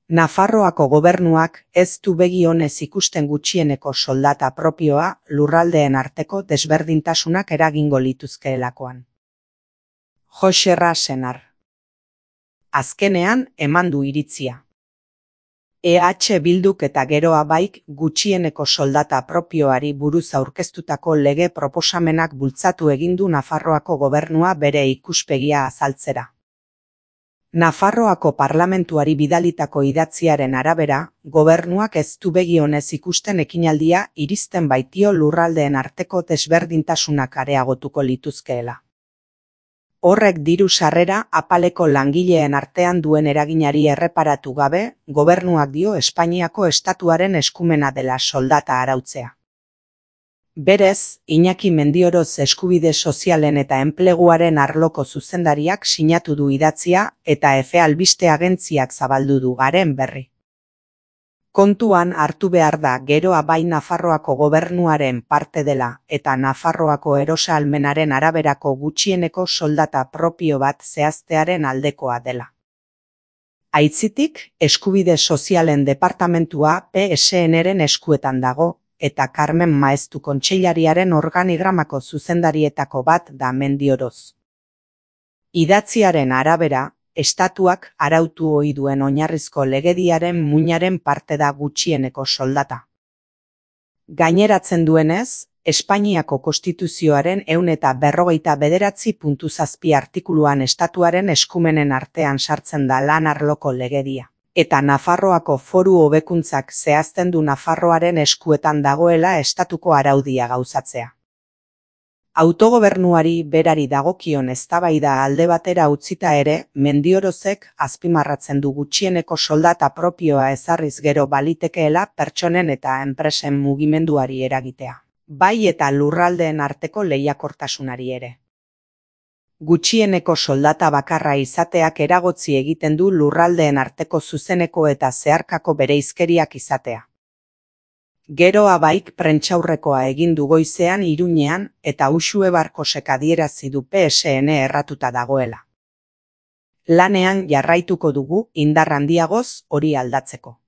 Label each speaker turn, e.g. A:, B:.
A: Nafarroako gobernuak ez du begi onez ikusten gutxieneko soldata propioa lurraldeen arteko desberdintasunak eragingo lituzkeelakoan. Joxerra Senar. Azkenean eman du iritzia. EH Bilduk eta Geroa Baik gutxieneko soldata propioari buruz aurkeztutako lege proposamenak bultzatu egin du Nafarroako gobernua bere ikuspegia azaltzera. Nafarroako parlamentuari bidalitako idatziaren arabera, gobernuak ez du begi onez ikusten ekinaldia iristen baitio lurraldeen arteko desberdintasunak areagotuko lituzkeela. Horrek diru sarrera apaleko langileen artean duen eraginari erreparatu gabe, gobernuak dio Espainiako estatuaren eskumena dela soldata arautzea. Berez, Iñaki Mendioroz eskubide sozialen eta enpleguaren arloko zuzendariak sinatu du idatzia eta Efe Albiste agentziak zabaldu du garen berri. Kontuan hartu behar da Geroa Bai Nafarroako gobernuaren parte dela eta Nafarroako erosahalmenaren araberako gutxieneko soldata propio bat zehaztearen aldekoa dela. Aitzitik, eskubide sozialen departamentua PSN-ren eskuetan dago, eta Carmen Maeztu kontseilariaren organigramako zuzendarietako bat da Mendioroz. Idatziaren arabera, estatuak arautu ohi duen oinarrizko legediaren muinaren parte da gutxieneko soldata. Gaineratzen duenez, Espainiako Konstituzioaren 159.7 artikuluan estatuaren eskumenen artean sartzen da lan arloko legedia. Eta Nafarroako Foru Hobekuntzak zehazten du Nafarroaren eskuetan dagoela estatuko araudia gauzatzea. Autogobernuari berari dagokion eztabaida alde batera utzita ere, Mendiorozek azpimarratzen du gutxieneko soldata propioa ezarriz gero balitekeela pertsonen eta enpresen mugimenduari eragitea, bai eta lurraldeen arteko lehiakortasunari ere. Gutxieneko soldata bakarra izateak eragotzi egiten du lurraldeen arteko zuzeneko eta zeharkako bereizkeriak izatea. Geroa Baik prentsaurrekoa egin du goizean Iruñean eta Uxue Barkosek adierazi du PSN erratuta dagoela. Lanean jarraituko dugu indar handiagoz hori aldatzeko.